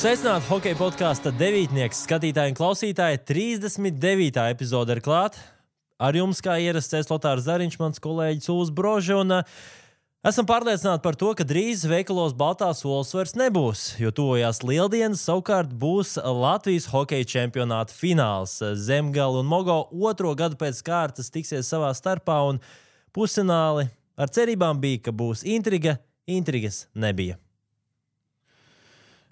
Sveicināti hokeja podkāsta devītnieks, skatītāji un klausītāji. 39. epizode ir klāt. Ar jums, kā ierasts, Lotārs Zariņš, mans kolēģis Uls Brožs. Esam pārliecināti par to, ka drīz veikalos baltās olas vairs nebūs, jo tuvojās Lieldienas, savukārt būs Latvijas hokeja čempionāta fināls. Zemgale un Mogo otro gadu pēc kārtas tiksies savā starpā, un pusfināli ar cerībām bija, ka būs intriga. Intrigas nebija.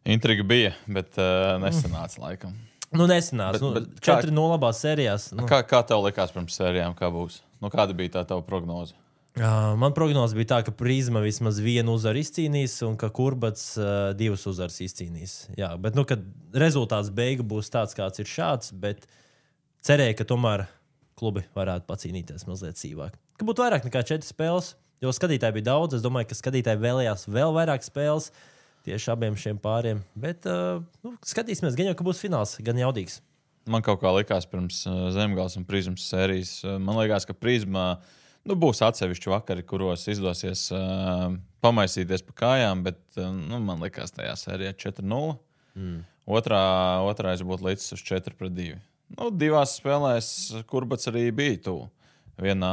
Intriga bija, bet nesanāca laikam. Nesanāca. 4-0 labās sērijās. Kā tev likās pirms sērijām, kā būs? Kāda bija tā tava prognoze? Man prognoze bija tā, ka Prizma vismaz vienu uzvaru izcīnīs un ka Kurbats divas uzvaras izcīnīs. Jā, bet kad rezultāts beigu būs tāds, kāds ir šāds, bet cerēju, ka tomēr klubi varētu pacīnīties mazliet sīvāk. Ka būtu vairāk nekā 4 spēles, jo skatītāji bija daudz. Es domāju, ka skatītāji vēlējās vēl vairāk spēles tieši abiem šiem pāriem. Bet skatīsimies, gan jau, ka būs fināls, gan jaudīgs. Man kaut kā likās pirms Zemgales un Prizmas sērijas. Man liekas, ka Prizmā būs atsevišķi vakari, kuros izdosies pamaisīties pa kājām, bet man likās tajā sērijā 4-0. Otrais būtu līdz uz 4-2. Divās spēlēs Kurbats arī bija tuvu. Vienā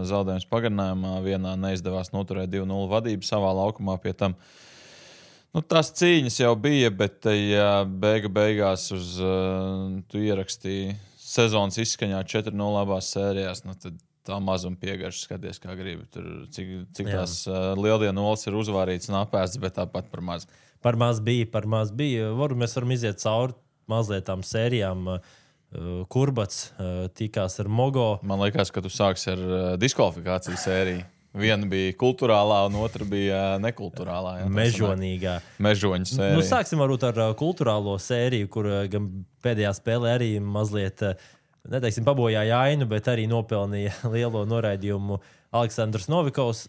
zaudējums pagarinājumā, vienā neizdevās noturēt 2-0 vadību savā laukumā pie tam. Tās cīņas jau bija, bet ja beigās tu ierakstīji sezonas izskaņā 4-0 abās sērijās, tad tā mazuma piegarša skaties, kā gribi. Tur, cik tās Lieldienu olas ir uzvārītas un apēstas, bet tāpat par maz. Par maz bija. Mēs varam iziet cauri mazliet tām sērijām. Kurbats tikās ar Mogo. Man liekas, ka tu sāksi ar diskvalifikāciju sēriju. Viena bija kultūrālā, un otra bija nekultūrālā. Mežonīgā. Mežoņa sērija. Sāksim varbūt ar kultūrālo sēriju, kur gan pēdējā spēlē arī mazliet, neteiksim, pabojāja ainu, bet arī nopelnīja lielo noraidījumu Aleksandrs Novikovs.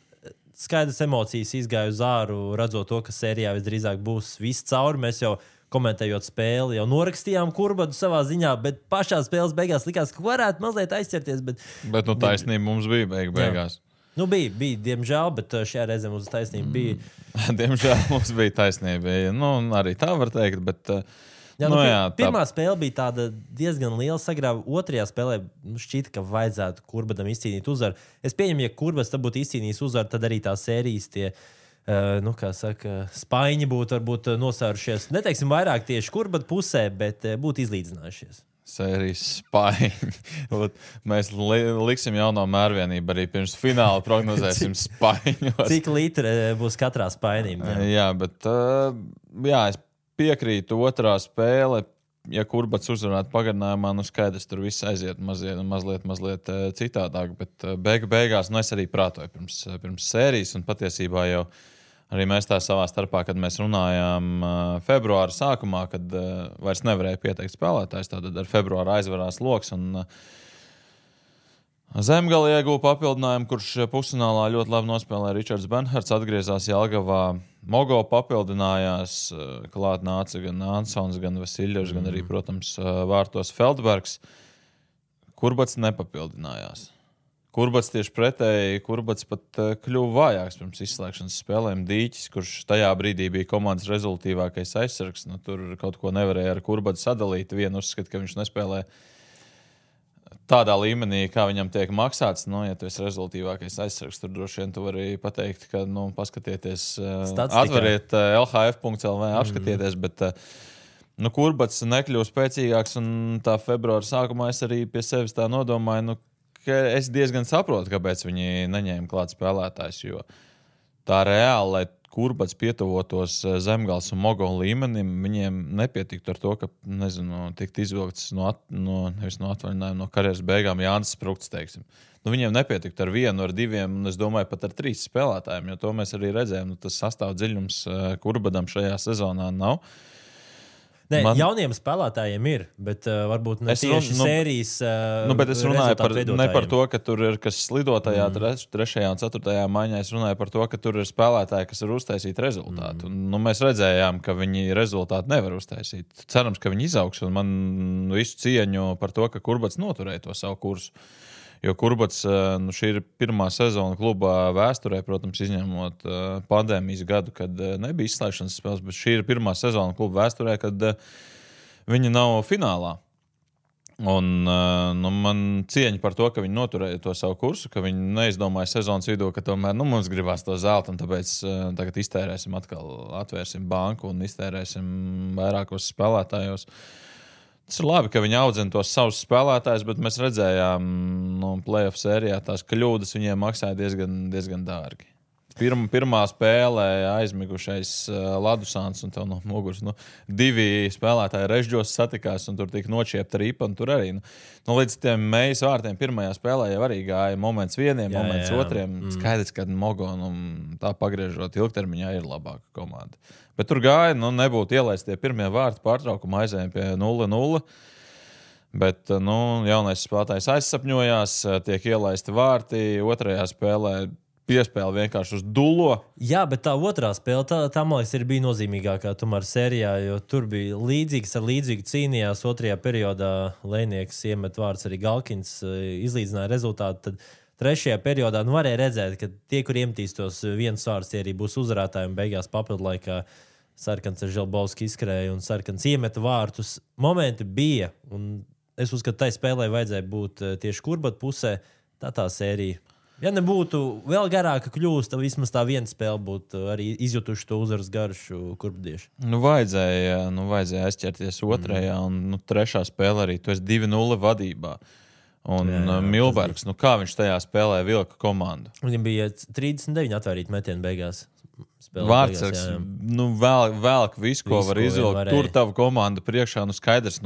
Skaidrs emocijas izgāja uz āru, redzot to, ka sērijā visdrīzāk būs viss cauri. Mēs jau komentējot spēli, jau norakstījām Kurbadu savā ziņā, bet pašā spēles beigās likās, ka varētu mazliet aizķerties. Bet taisnība mums bija beigās. Bija, diemžēl, bet šajā reizē mums taisnība bija. Diemžēl mums bija taisnība. Arī tā var teikt, bet... Pirmā spēle bija tāda diezgan liela sagrāva. Otrajā spēlē šķita, ka vajadzētu Kurbadam izcīnīt uzvaru. Es pieņemu, ja Kurbats tad būtu izcīnījis uzvaru, tad arī tā sērijas tie, spaiņi būtu varbūt nosērušies. Neteiksim vairāk tieši Kurbada pusē, bet būtu izlīdzinājušies. Sērijas spaiņi. Mēs liksim jauno mērvienību arī pirms fināla prognozēsim spaiņu. Cik litri būs katrā spainī? Jā, bet es piekrītu otrā spēle. Ja Kurbats uzvarētu pagarinājumā, skaidrs, tur viss aiziet mazliet citādāk, bet beigās es arī prātoju pirms sērijas, un patiesībā jau arī mēs tā savā starpā, kad mēs runājām februāra sākumā, kad vairs nevarēja pieteikt spēlētājs, tad ar februāru aizvarās loks, un Zemgale ieguva papildinājumu, kurš pusfinālā ļoti labi nospēlēja Ričards Benhards, atgriezās Jelgavā. Mogo papildinājās, klāt nāca gan Ansons, gan Vasiļevs, gan arī, protams, vārtos Feldbergs. Kurbats nepapildinājās. Kurbats tieši pretēji, Kurbats pat kļuva vājāks pirms izslēgšanas spēlēm. Dīķis, kurš tajā brīdī bija komandas rezultīvākais aizsargs, tur kaut ko nevarēja ar Kurbatu sadalīt. Vienu uzskat, ka viņš nespēlē tādā līmenī, kā viņam tiek maksāts. Ja tu esi rezultīvākais aizsargs, tur droši vien tu vari pateikt, ka paskatieties, atveriet lhf.lv, apskatieties, bet Kurbats nekļuva spēcīgāks, un tā februāra sākumā es arī pie sevis tā nodomāju, ka es diezgan saprotu, kāpēc viņi neņēma klāt spēlētājs, jo tā reāli, lai Kurbats pietuvotos Zemgales un Mogo līmenim, viņiem nepietiktu ar to, ka, tikt izvilkts nevis no atvaļinājuma, no karjeras beigām Jānis Sprukts, teiksim. Viņiem nepietiktu ar 1, ar 2, un es domāju pat ar 3 spēlētājiem, jo to mēs arī redzējām, tas sastāv dziļums Kurbadam šajā sezonā nav. Jauniem spēlētājiem ir, bet varbūt ne tieši sērijas bet es runāju ne par to, ka tur ir kas slido tajā 3. un 4. maiņā. Es runāju par to, ka tur ir spēlētāji, kas var uztaisīt rezultātu. Mēs redzējām, ka viņi rezultātu nevar uztaisīt. Cerams, ka viņi izaugs, un man visu cieņu par to, ka Kurbats noturēja to savu kursu. Jo Kurbats, šī ir pirmā sezona klubā vēsturē, protams, izņemot pandēmijas gadu, kad nebija izslēgšanas spēles, bet šī ir pirmā sezona kluba vēsturē, kad viņi nav finālā. Un man cieņa par to, ka viņi noturēja to savu kursu, ka viņi neizdomāja sezonas vidū, ka tomēr mums gribās to zeltu, un tāpēc tagad iztērēsim atkal, atvērsim banku un iztērēsim vairākos spēlētājos. Tas ir labi, ka viņi audzina tos savus spēlētājus, bet mēs redzējām playoff sērijā tās kļūdas viņiem maksāja diezgan dārgi. Pirmā spēlē aizmigušais Ladusāns un tev no muguras. Divi spēlētāji režģos satikās un tur tika nočiepta ripa. Tur arī līdz tiem mejas vārtiem pirmajā spēlē jau arī gāja moments vieniem, moments otriem. Skaidrs, ka Mogo tā pagriežot ilgtermiņā ir labāka komanda. Bet tur gāja, nebūtu ielaist tie pirmie vārti pārtraukuma aizējiem pie 0-0. Bet jaunais spēlētājs aizsapņojās, tiek ielaisti vārti, otrajā spēlē piespēle vienkārši uz dullo. Jā, bet tā otrā spēle, tā man liekas, bija nozīmīgākā tomēr sērijā, jo tur bija līdzīgu cīnījās otrajā periodā. Lejnieks iemet vārds arī Galkins, izlīdzināja rezultātu. Tad trešajā periodā varēja redzēt, ka tie, kur iemetīs tos viens vārds, tie arī būs uzvarētāji un beigās papildu laikā Sarkans ar Želbovski izskrēja un Sarkans iemeta vārtus. Momenti bija, un es uzskatu, tai spēlē vajadzēja būt tieši Kurbata pusē, tā sērija. Ja nebūtu vēl garāka kļūst, tad vismaz tā viena spēle būtu arī izjutuši to uzvaras garšu kurbadieši. Vajadzēja aizķerties otrajā, un trešā spēle arī. Tu esi 2-0 vadībā. Un Milbergs, kā viņš tajā spēlē vilka komandu? Viņam bija 39 atvērīti metieni beigās. Vārtsargs, vēlk visu, ko var izvilkt. Tur tava komanda priekšā, skaidrs,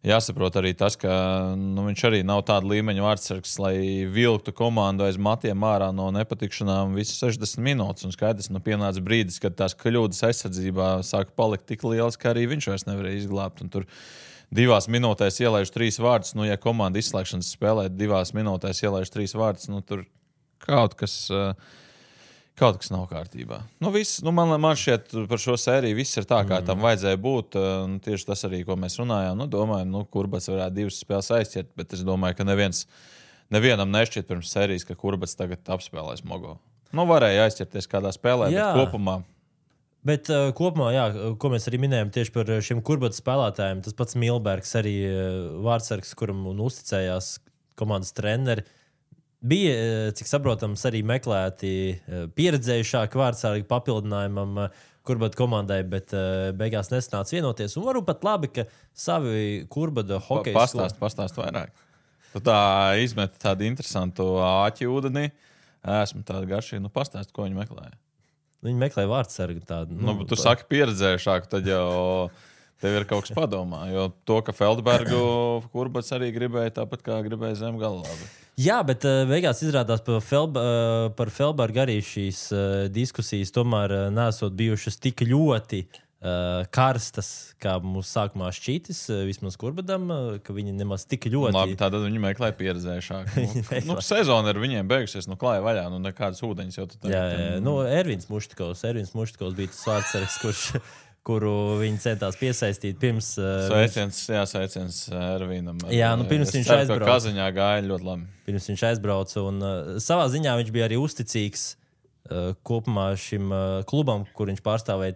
jāsaprot arī tas, ka viņš arī nav tāda līmeņa vārtsargs, lai vilktu komandu aiz matiem ārā no nepatikšanām visas 60 minūtes. Un skaidrs, pienāca brīdis, kad tās kļūdas aizsardzībā sāka palikt tik lielas, ka arī viņš vairs nevarēja izglābt. Un tur 2 minūtēs ielaiž 3 vārdus. Ja komanda izslēgšanas spēlē 2 minūtēs ielaiž 3 vārdus, tur kaut kas nav kārtībā. Man šķiet par šo sēriju viss ir tā, kā tam vajadzēja būt. Tieši tas arī, ko mēs runājām. Domāju, Kurbats varētu 2 spēles aizķert, bet es domāju, ka nevienam nešķiet pirms sērijas, ka Kurbats tagad apspēlēs Mogo. Varēja aizķerties kādā spēlē, bet kopumā. Bet kopumā, ko mēs arī minējām tieši par šiem Kurbata spēlētājiem, tas pats Milbergs, arī vārtsargs, kuram uzticējās komandas treneri. Bija, cik saprotams, arī meklēti pieredzējušāki vārdsargi papildinājumam Kurbata komandai, bet beigās nesanāca vienoties. Un varbūt pat labi, ka savi Kurbata hokeja Pastāst vairāk. Tu tā izmeti tādu interesantu āķi ūdenī. Esmu tāda garšīga. Pastāst, ko viņi meklēja. Viņi meklēja vārdsargu tādu. Tu saki pieredzējušāku, tad jau tev ir kaut kas padomā. Jo to, ka Feldbergu Kurbats arī gribēja, tāpat kā gribēja Zemgala. Jā, bet beigās izrādās par Feldbergu arī šīs diskusijas tomēr nesot bijušas tik ļoti karstas, kā mums sākumā šķītis, vismaz Kurbatam, ka viņi nemaz tik ļoti... Labi, tātad viņi meklēja pieredzējušāku. Sezona ir viņiem beigusies, klāja vaļā, nekādas ūdeņas jau tad... Jā. Ervins Muštikovs bija tas vārdsargs, kuru viņi centās piesaistīt pirms... Sveiciens Ervīnam. Jā, pirms viņš aizbrauca. Kaziņā gāja ļoti labi. Pirms viņš aizbrauca, un savā ziņā viņš bija arī uzticīgs kopumā šim klubam, kur viņš pārstāvēja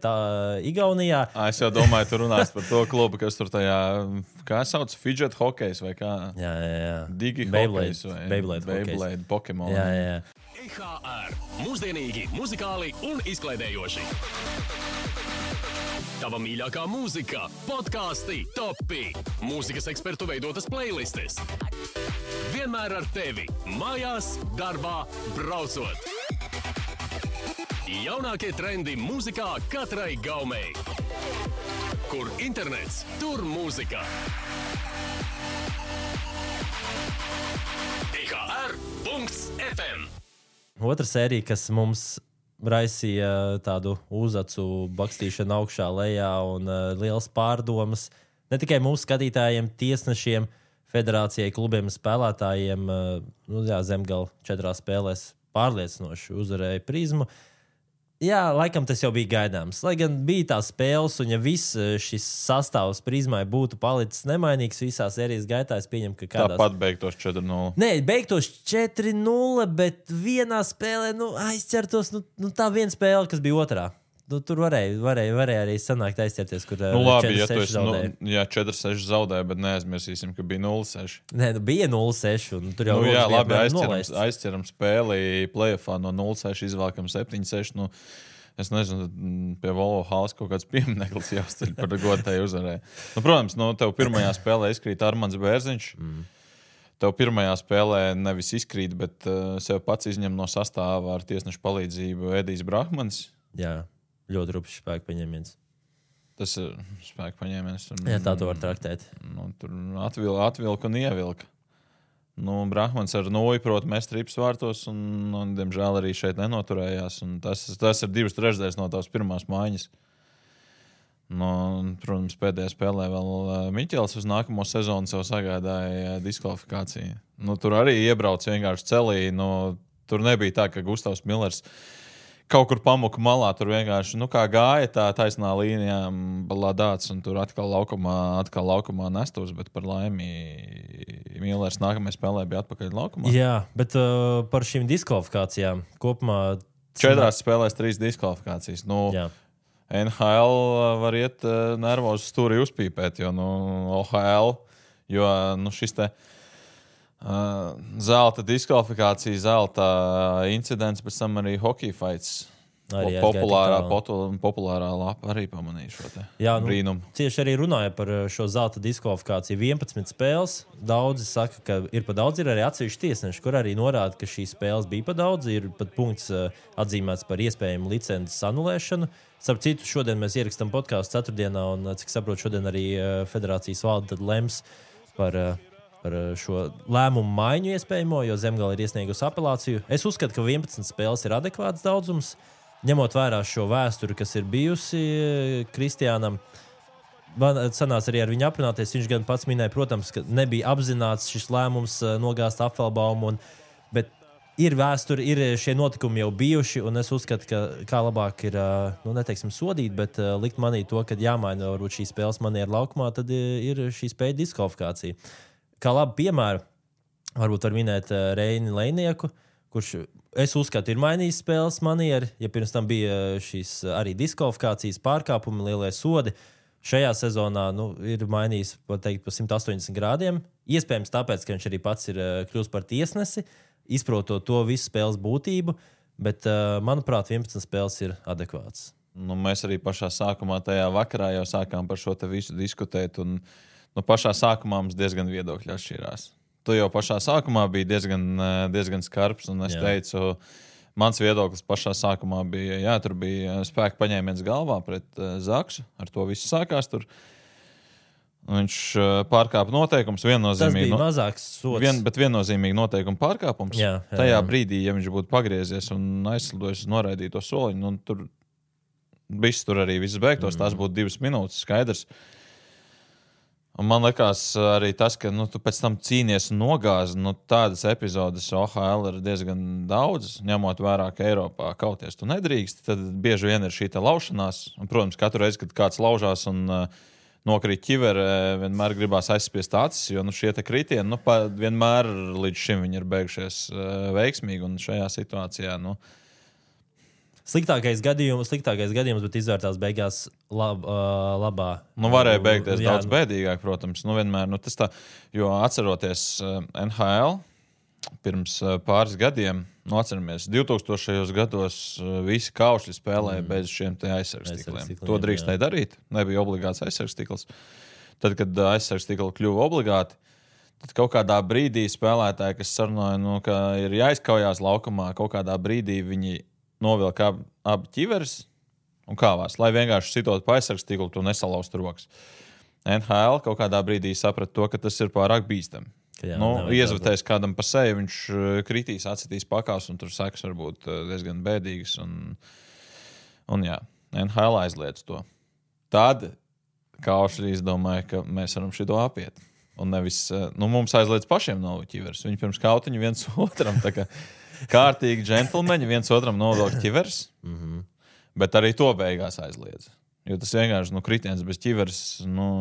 Igaunijā. Es jau domāju, tu runās par to klubu, kas tur tajā, kā sauc, fidget hokejs vai kā? Jā. Digi hokejs vai Beyblade Pokemon. Jā. IHR. Mūsdienīgi, muzikāli un izklaidējoši. Tava mīļākā mūzika, podkāsti, topi, mūzikas ekspertu veidotas playlistes. Vienmēr ar tevi, mājās, darbā, braucot. Jaunākie trendi mūzikā katrai gaumei. Kur internets, tur mūzika. IHR.FM. Otra sērija, kas mums raisīja tādu uzacu bakstīšanu augšā, lejā un liels pārdomas. Ne tikai mūsu skatītājiem, tiesnešiem, federācijai, klubiem, spēlētājiem. Zemgala 4 spēlēs pārliecinoši uzvarēja Prizmu. Jā, laikam tas jau bija gaidāms. Lai gan bija tās spēles, un ja viss šis sastāvs prizmai būtu palicis nemainīgs visās sērijas gaitā, es pieņemu, ka kādās... Tāpat beigtos 4-0. Nē, beigtos 4-0, bet vienā spēlē aizķertos. Tā viena spēle, kas bija otrā. Tur varēja arī sanākt aizķerties, kur labi, 4-6 ja zaudēja. Jā, 4-6 zaudēja, bet neaizmirsīsim, ka bija 0-6. Nē, bija 0-6, un tur jau jā, labi, aizķeram spēli playoffā no 0-6 izvēlkam 7-6. Es nezinu, pie Volvo Hāles kaut kāds piemineklis jāuzceļ par godēju uzvarēju. Protams, tev pirmajā spēlē izkrīt Armands Bērziņš. Tev pirmajā spēlē nevis izkrīt, bet sev pats izņem no sastāvā ar tiesnešu palīdzību Edijs Brahmanis. Jā. Ļoti rupšs spēku paņēmiens. Tas ir spēku paņēmiens. Jā, tā to var traktēt. Tur atvilka un ievilka. Brahmans ar noju prot mest rips vārtos un, diemžēl, arī šeit nenoturējās. Tas ir 2/3 no tās pirmās mājiņas. Protams, pēdējā spēlē vēl Miķels uz nākamo sezonu sev sagādāja diskvalifikāciju. Tur arī iebrauc vienkārši celī. Tur nebija tā, ka Gustavs Millers kaut kur pamuka malā, tur vienkārši, kā gāja tā taisnā līnijā balādāts, un tur atkal laukumā nestos, bet par laimi Millers nākamajā spēlē bija atpakaļ laukumā. Jā, bet par šīm diskvalifikācijām kopumā... 4 spēlēs 3 diskvalifikācijas. NHL var iet nervozu stūri uzpīpēt, jo OHL, jo šis te zelta diskvalifikācija, zelta incidents, pēc tam arī hockey fights. Populārā lapa arī pamanīja šo brīnumu. Tieši arī runāja par šo zelta diskvalifikāciju. 11 spēles. Daudzi saka, ka ir pa daudz. Ir arī atsevišķi tiesneši, kur arī norāda, ka šīs spēles bija pa daudz. Ir pat punkts atzīmēts par iespējamu licences anulēšanu. Starp citu, šodien mēs ierakstām podcastu ceturtdienā, un, cik saprotu, šodien arī federācijas valde tad lems par šo lēmumu maiņu iespējamo, jo Zemgale ir iesniegusi apelāciju. Es uzskatu, ka 11 spēles ir adekvāts daudzums, ņemot vērā šo vēsturi, kas ir bijusi Kristiānam. Man sanāca arī ar viņu aprunāties. Viņš gan pats minēja, protams, ka nebija apzināts šis lēmums nogāzt Apfelbaumu, bet ir vēsture, ir šie notikumi jau bijuši, un es uzskatu, ka kā labāk ir, neteiksim sodīt, bet likt manī to, ka jāmaina varbūt šīs spēles maniera laukumā, tad ir šī spēļu diskvalifikācija. Kā labi piemēru, varbūt var minēt Reini Leinieku, kurš, es uzskatu, ir mainījis spēles manieri. Ja pirms tam bija šīs arī diskvalifikācijas pārkāpumi, lielie sodi, šajā sezonā ir mainījis, pateikt, pa 180 grādiem. Iespējams tāpēc, ka viņš arī pats ir kļūst par tiesnesi, izprotot to visu spēles būtību, bet, manuprāt, 11 spēles ir adekvāts. Mēs arī pašā sākumā tajā vakarā jau sākām par šo te visu diskutēt, un pašā sākumā mums diezgan viedokļi atšķirās. Tu jau pašā sākumā biji diezgan skarbs, un es teicu, mans viedoklis pašā sākumā bija, jā, tur bija spēka paņēmiens galvā pret Zaksu, ar to viss sākās tur. Viņš pārkāpa noteikums, viennozīmīgi. Tas bija mazāks sods. Bet viennozīmīgi noteikuma pārkāpums. Jā. Tajā brīdī, ja viņš būtu pagriezies un aizslidojis uz noraidīto soliņu, tur viss tur arī viss beigtos, tās būtu 2 minūtes, skaidrs. Un man liekas arī tas, ka tu pēc tam cīnies un nogāzi. Tādas epizodes OHL ir diezgan daudz, ņemot vērā, ka Eiropā kauties tu nedrīkst. Tad bieži vien ir šī laušanās. Un, protams, katru reizi, kad kāds laužās un nokrīt ķivere, vienmēr gribās aizspiest acis, jo šie te kritieni vienmēr līdz šim viņi ir beigušies veiksmīgi. Un šajā situācijā Sliktākais gadījums, bet izvērtās beigās labā. Varēja beigties daudz bēdīgāk, protams. Vienmēr, tas tā, jo atceroties NHL pirms pāris gadiem, atceramies, 2000. gados visi kaušļi spēlēja bez šiem te aizsargstikliem. To drīkstēja darīt, nebija obligāts aizsargstikls. Tad, kad aizsargstikli kļuva obligāti, tad kaut kādā brīdī spēlētāji, kas sarunāja, ka ir jāizkaujās laukumā, kaut kādā brīdī viņi novilka abi ķiveres un kāvās, lai vienkārši sitot pa aizsargstīklu, tu nesalauzt rokas. NHL kaut kādā brīdī saprata to, ka tas ir pārāk bīstami. Iezvatēs kādam pa seju, viņš kritīs, atsitīs pakās, un tur sekas var būt diezgan bēdīgas. Un jā, NHL aizliedz to. Tad Kaušļi izdomāja, ka mēs varam šito apiet. Un nevis, mums aizliedz pašiem nav ķiveres. Viņi pirms kautiņu viens otram tā kā kārtīgi džentlmeņi, viens otram novilk ķivers. Bet arī to beigās aizliedz. Jo tas vienkārši kritiens bez ķiveres,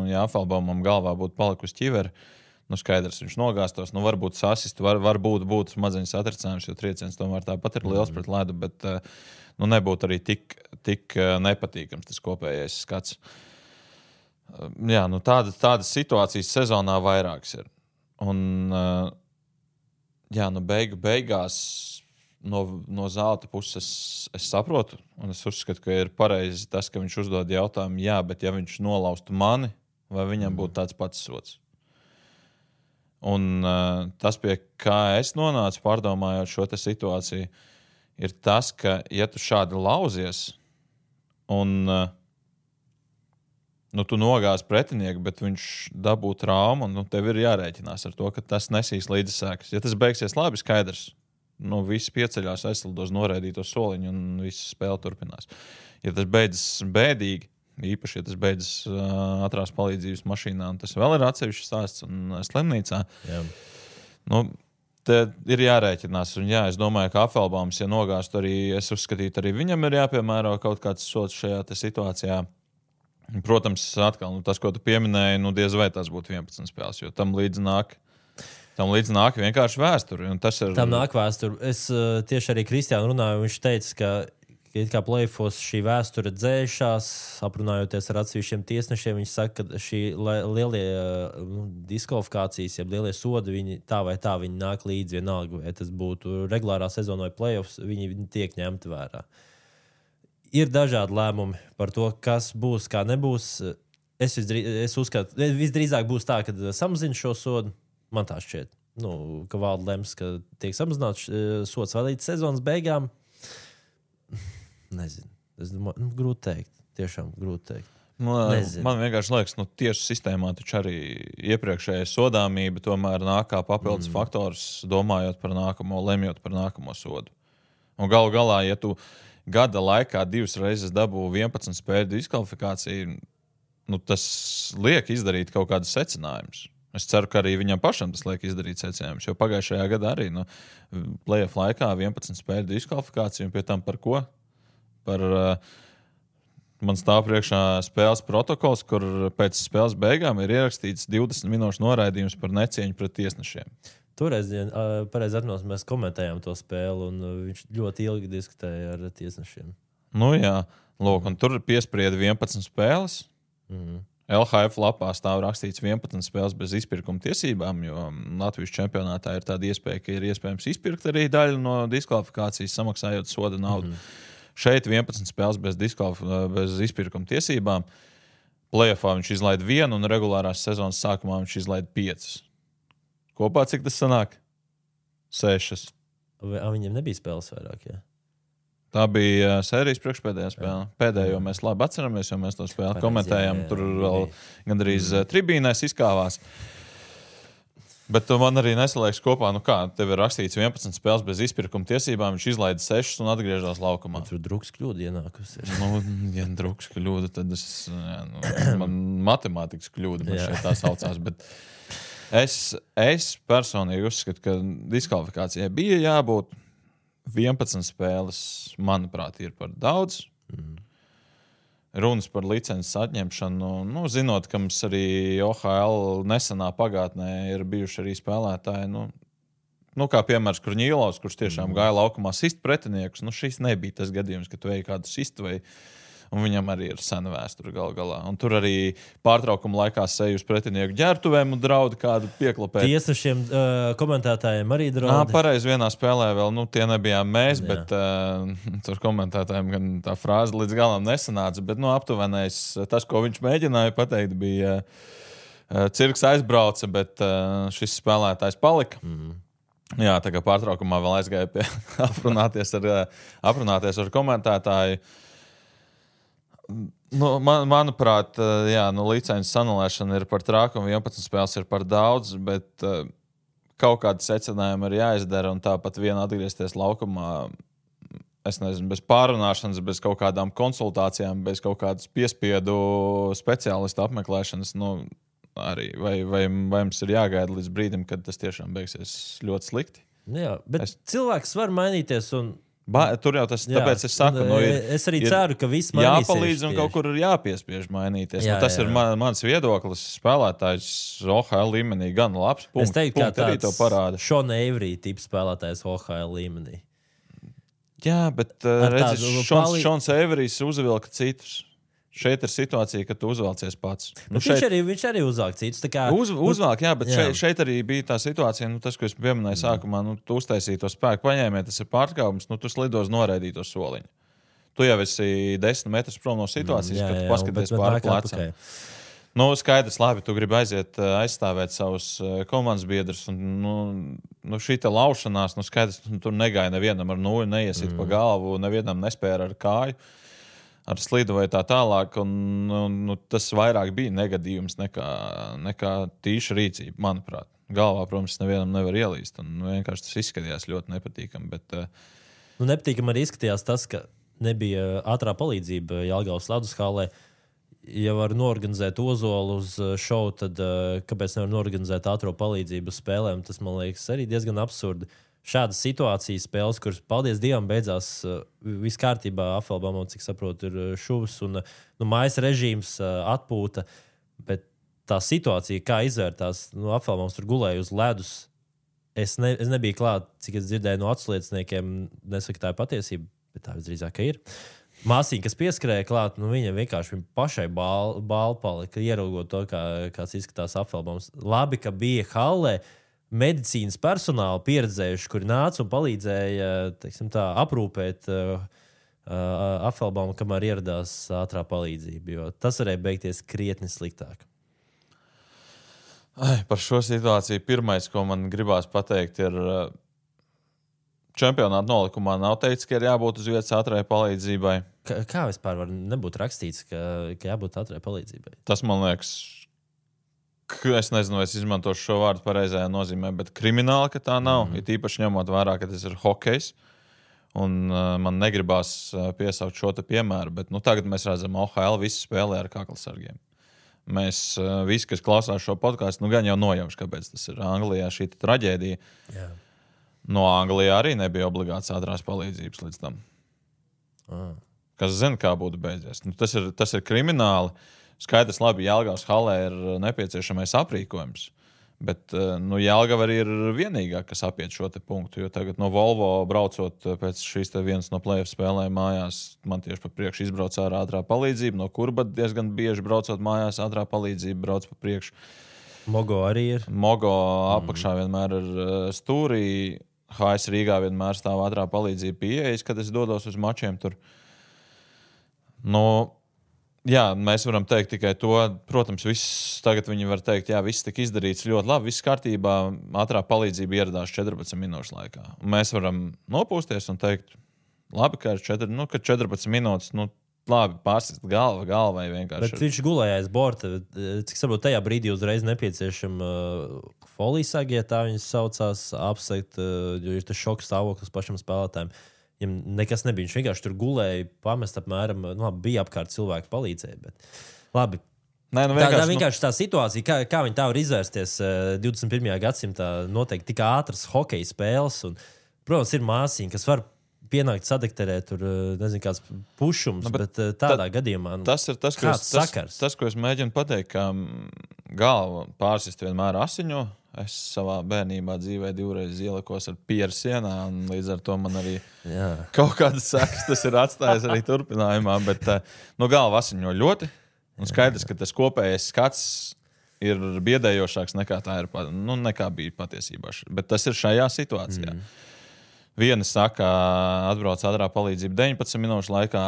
ja Afalbaumam galvā būtu palikusi ķivere, skaidrs, viņš nogāstos, varbūt sasistu, varbūt būtu smadzeņu satricinājums, jo trieciens tomēr tāpat ir liels pret ledu, bet nebūtu arī tik nepatīkams tas kopējais skats. Jā, tādas situācijas sezonā vairākas ir. Un, beigās no Zelta puses es saprotu, un es uzskatu, ka ir pareizi tas, ka viņš uzdod jautājumu, jā, bet ja viņš nolaustu mani, vai viņam būtu tāds pats sods? Un tas, pie kā es nonācu, pārdomājot šo situāciju, ir tas, ka, ja tu šādi lauzies un tu nogāzi pretinieku, bet viņš dabū traumu, un tev ir jārēķinās ar to, ka tas nesīs līdzi sēkas. Ja tas beigsies labi, skaidrs, visi pieceļās, aizsildos noraidīto soliņu un visa spēle turpinās. Ja tas beidzas bēdīgi, īpaši, ja tas beidzas ātrās palīdzības mašīnā, un tas vēl ir atsevišķs stāsts un slimnīcā. Te ir jārēķinās. Un jā, es domāju, ka Afalbaums, ja nogāstu arī, es uzskatītu, arī viņam ir jāpiemēro kaut kāds sods šajā situācijā. Protams, atkal, tas, ko tu pieminēji, diez vai tas būtu 11 spēles, jo tam līdz nāk vienkārši vēsturi. Un tas ir... Tam nāk vēsturi. Es tieši arī Kristiānu runāju, viņš teica, ka kā play-offs šī vēsture dzēšās, aprunājoties ar atsevišķiem tiesnešiem, viņš saka, ka šī lielie diskvalifikācijas, ja lielie sodi, viņi tā vai tā viņi nāk līdzi vienalga, vai tas būtu regulārā sezona vai play-offs, viņi tiek ņemti vērā. Ir dažādi lēmumi par to, kas būs, kā nebūs. Es uzskatu, visdrīzāk būs tā, ka samazina šo sodu. Man tā šķiet, ka valda lems, ka tiek samazināts sods vēl līdz sezonas beigām. Nezinu. Es domāju, grūti teikt. Tiešām grūti teikt. Man vienkārši liekas, tiesu sistēmā taču arī iepriekšējā sodāmība tomēr nāk kā papildus faktors, domājot par nākamo, lemjot par nākamo sodu. Un galu galā, ja tu gada laikā 2 reizes dabū 11 spēļu diskvalifikāciju, tas liek izdarīt kaut kādus secinājumus. Es ceru, ka arī viņam pašam tas liek izdarīt secinājumus, jo pagājušajā gadā arī play-off laikā 11 spēļu diskvalifikāciju, un pie tam par ko? Man stāv priekšā spēles protokols, kur pēc spēles beigām ir ierakstīts 20 minūšu noraidījums par necieņu pret tiesnešiem. Toreiz, pareizi atminos, mēs komentējām to spēli, un viņš ļoti ilgi diskutēja ar tiesnešiem. Jā, lūk, un tur piesprieda 11 spēles. LHF lapā stāv rakstīts 11 spēles bez izpirkuma tiesībām, jo Latvijas čempionātā ir tāda iespēja, ka ir iespējams izpirkt arī daļu no diskvalifikācijas, samaksājot soda naudu. Šeit 11 spēles bez izpirkuma tiesībām. Play-offā viņš izlaida 1, un regulārās sezonas sākumā viņš izlaida 5. Kopā cik tas sanāk? 6. Viņam nebija spēles vairāk, jā? Tā bija sērijas priekšpēdējā spēle. Pēdējo mēs labi atceramies, jo mēs to spēli komentējām. Tur vēl gandrīz tribīnēs izkāvās. Bet man arī nesaliekas kopā, tev ir rakstīts 11 spēles bez izpirkuma tiesībām, viņš izlaida 6 un atgriežas laukumā. Tur druks kļūda ienākusi. Ja druks kļūda, tad man matemātikas kļūda, man šeit tā saucās. Bet es personīgi uzskatu, ka diskvalifikācijai bija jābūt 11 spēles, manuprāt, ir par daudz. Runas par licences atņemšanu, zinot, ka mums arī OHL nesenā pagātnē ir bijuši arī spēlētāji, kā piemērs Kurņīlovs, kurš tiešām gāja laukumā sist pretiniekus, šis nebija tas gadījums, ka tu ej kādu sistu, un viņam arī ir sena vēsture gal galā. Un tur arī pārtraukuma laikā seju uz pretinieku ģērbtuvēm un draudi kādu pieklapēt. Tiesnešiem komentētājiem arī draudi. Pareizi vienā spēlē vēl, tie nebijām mēs, bet tur komentētājiem gan tā frāze līdz galam nesanāca, bet aptuvenais tas, ko viņš mēģināja pateikt, bija cirks aizbrauca, bet šis spēlētājs palika. Jā, tā kā pārtraukumā vēl aizgāja pie aprunāties ar komentētāju. Manuprāt, licences anulēšana ir par trāku un 11 spēles ir par daudz, bet kaut kādi secinājumi ir jāizdara un tāpat vien atgriezties laukumā, es nezinu, bez pārunāšanas, bez kaut kādām konsultācijām, bez kaut kādas piespiedu speciālistu apmeklēšanas, arī. Vai mums ir jāgaida līdz brīdim, kad tas tiešām beigsies ļoti slikti? Jā, bet cilvēks var mainīties un Tur jau tas, tāpēc es saku, es arī ceru, ka viss mainīsies. Jāpalīdz un kaut kur ir jāpiespiež mainīties. Tas ir mans viedoklis. Spēlētājs OHL līmenī gan labs. Es teiktu, ka tāds Šona Avery tips spēlētājs OHL līmenī. Jā, bet Šons Averijs uzvilka citus. Šeit ir situācija, ka tu uzvelcies pats. Viņš arī uzvelk citus. Uzvelk, jā, bet šeit arī bija tā situācija, tas, ko es pieminēju sākumā, tu uztaisīji to spēku paņēmē, tas ir pārkāpums, tu slidos noraidīt to soliņu. Tu jau esi 10 metrus prom no situācijas, kad tu paskaties pāri plecam. Skaidrs, labi, tu gribi aiziet aizstāvēt savus komandas biedrus, un šī te laušanās, skaidrs, tur negāja nevienam ar nūju, neiesit pa galvu, nevienam nespēra ar kāju. Ar slidu vai tā tālāk, un tas vairāk bija negadījums nekā tīša rīcība, manuprāt. Galvā, protams, nevienam nevar ielīst, un vienkārši tas izskatījās ļoti nepatīkami. Bet, nepatīkami arī izskatījās tas, ka nebija ātrā palīdzība Jelgavas ledus hallē. Ja var norganizēt Ozolu uz šovu, tad kāpēc nevar norganizēt ātro palīdzību uz spēlēm? Tas, man liekas, arī diezgan absurdi. Šādas situācijas spēles, kuras, paldies Dievam, beidzās viss kārtībā. Afelbamam, cik saprotu, ir šuvs un mājas režīms, atpūta. Bet tā situācija, kā izvērtās, Afelbams tur gulēja uz ledus. Es nebiju klāt, cik es dzirdēju no atslieciniekiem, nesaku, tā ir patiesība, bet tā visdrīzāk ir. Māsīņa, kas pieskrēja klāt, viņa vienkārši pašai bāli palika, ieraugot to, kāds izskatās Afelbams. Labi, ka bija hallē medicīnas personāli pieredzējuši, kuri nāca un palīdzēja, teiksim tā, aprūpēt Afelbamu, kamēr ieradās ātrā palīdzība, jo tas varēja beigties krietni sliktāk. Par šo situāciju pirmais, ko man gribās pateikt, ir čempionāta nolikumā nav teikts, ka ir jābūt uz vietas ātrai palīdzībai. Kā vispār var nebūt rakstīts, ka jābūt ātrai palīdzībai? Tas, man liekas, es nezinu, vai es izmantošu šo vārdu pareizajā nozīmē, bet krimināli, ka tā nav. Ir īpaši ņemot vērā, ka tas ir hokejs. Un man negribās piesaukt šo te piemēru, bet tagad mēs redzam, OHL visi spēlē ar kaklasargiem. Mēs visi, kas klausās šo podcastu, gan jau nojauš, kāpēc tas ir Anglijā šī traģēdija. Jā. No Anglijā arī nebija obligāts ātrās palīdzības līdz tam. Kas zina, kā būtu beidzies. Tas ir krimināli. Skaidrs, labi, Jelgavas hallē ir nepieciešamais aprīkojums, bet Jelgava arī ir vienīgā, kas apiet šo te punktu, jo tagad no Volvo braucot pēc šīs te vienas no play-off spēlēm mājās, man tieši pa priekšu izbrauc ātrā palīdzība, no Kurba diezgan bieži braucot mājās ātrā palīdzība brauc pa priekšu. Mogo arī ir. Mogo apakšā vienmēr ir stūrī, HS Rīgā vienmēr stāv ātrā palīdzība pieejas, kad es dodos uz mačiem tur. Jā, mēs varam teikt tikai to. Protams, tagad viņi var teikt, jā, viss tika izdarīts ļoti labi, viss kārtībā, ātrā palīdzība ieradās 14 minūšu laikā. Un mēs varam nopūsties un teikt, labi, ka ir 14 minūtes, labi, pārsist galvai vienkārši. Bet viņš gulēja aiz borta, cik saprot, tajā brīdī uzreiz nepieciešama folijsagi, ja tā viņas saucās, apsegt, jo ir tas šoks stāvoklis pašam spēlētājiem. Viņam nekas nebija. Viņš vienkārši tur gulēja, pamest apmēram, bija apkārt cilvēki palīdzēja, bet labi. Tā vienkārši tā situācija, kā viņi tā var izvērsties 21. gadsimtā, noteikti tik ātras hokeja spēles, un, protams, ir māsīņa, kas var pienākt sadekterēt, tur, nezinu, kāds pušums, bet tādā gadījumā, kāds sakars? Tas, ko es mēģinu pateikt, ka galva pārsist vienmēr asiņo. Es savā bērnībā dzīvē 2 reizes ielikos ar pieru sienā, un līdz ar to man arī kaut kādas sekas tas ir atstājis arī turpinājumā, bet galva asiņo ļoti, un skaidrs, ka tas kopējais skats ir biedējošāks nekā tā ir, nekā bija patiesībā. Bet tas ir šajā situācijā. Viena saka, atbrauc ātrā palīdzība 19 minūšu laikā,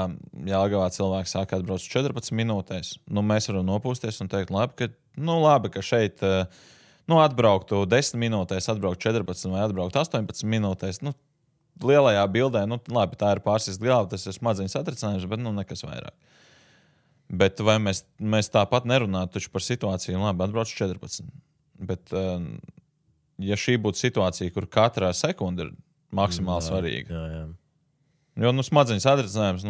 Jelgavā cilvēki saka, atbrauc 14 minūtēs. Mēs varam nopūsties un teikt, labi, ka šeit atbrauktu 10 minūtēs, atbraukt 14 vai atbraukt 18 minūtēs. Lielajā bildē, labi, tā ir pārsist galva, tas ir smadzeņu satricinājums, bet nekas vairāk. Bet vai mēs tāpat nerunātu taču par situāciju, labi, atbrauc 14. Bet, ja šī būtu situācija, kur katrā sekunda ir maksimāli svarīga. Jā. Jo, smadzeņu satricinājums,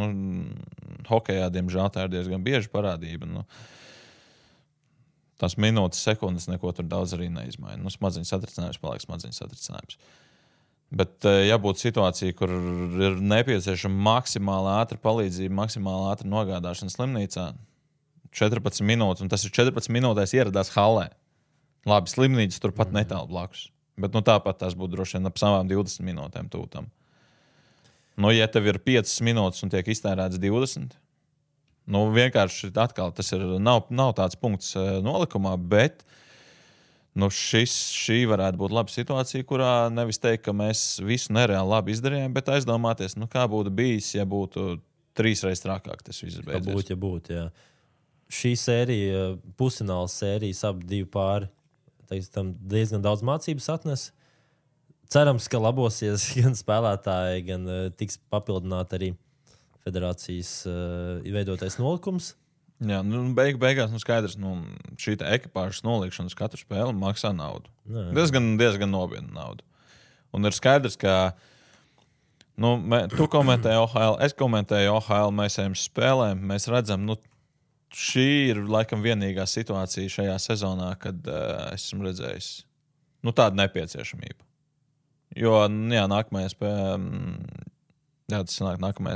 hokejā, diemžēl, tā ir diezgan bieži parādība. Tās minūtes, sekundes neko tur daudz arī neizmaina. Smadzeņu satricinājums paliek smadzeņu satricinājums. Bet, ja būtu situācija, kur ir nepieciešama maksimāli ātra palīdzība, maksimāli ātra nogādāšana slimnīcā, 14 minūtes, un tas ir 14 minūtēs ieradās halē. Labi, slimnīcas turpat netālu blakus. Bet tāpat tās būtu droši vien ap savām 20 minūtēm tūtam. Ja tev ir 5 minūtes un tiek iztērēts 20, vienkārši atkal tas nav tāds punkts nolikumā, bet šī varētu būt laba situācija, kurā nevis teikt, ka mēs visu nereāli labi izdarījām, bet aizdomāties, kā būtu bijis, ja būtu 3 reizes trakāk tas viss beidzies. Ja būtu, jā. Šī sērija, pusfināls sērijas ap 2 pāri, tam diezgan daudz mācības atnes. Cerams, ka labosies gan spēlētāji, gan tiks papildināt arī federācijas veidotais nolikums. Jā, beigās skaidrs, šī ekipāžas nolikšana uz katru spēli maksā naudu. Diezgan nopietnu naudu. Un ir skaidrs, ka tu komentēji OHL, es komentēju OHL, mēs ejam spēlēm, mēs redzam, šī ir laikam vienīgā situācija šajā sezonā, kad esmu redzējis tādu nepieciešamību. Jo, nākamajā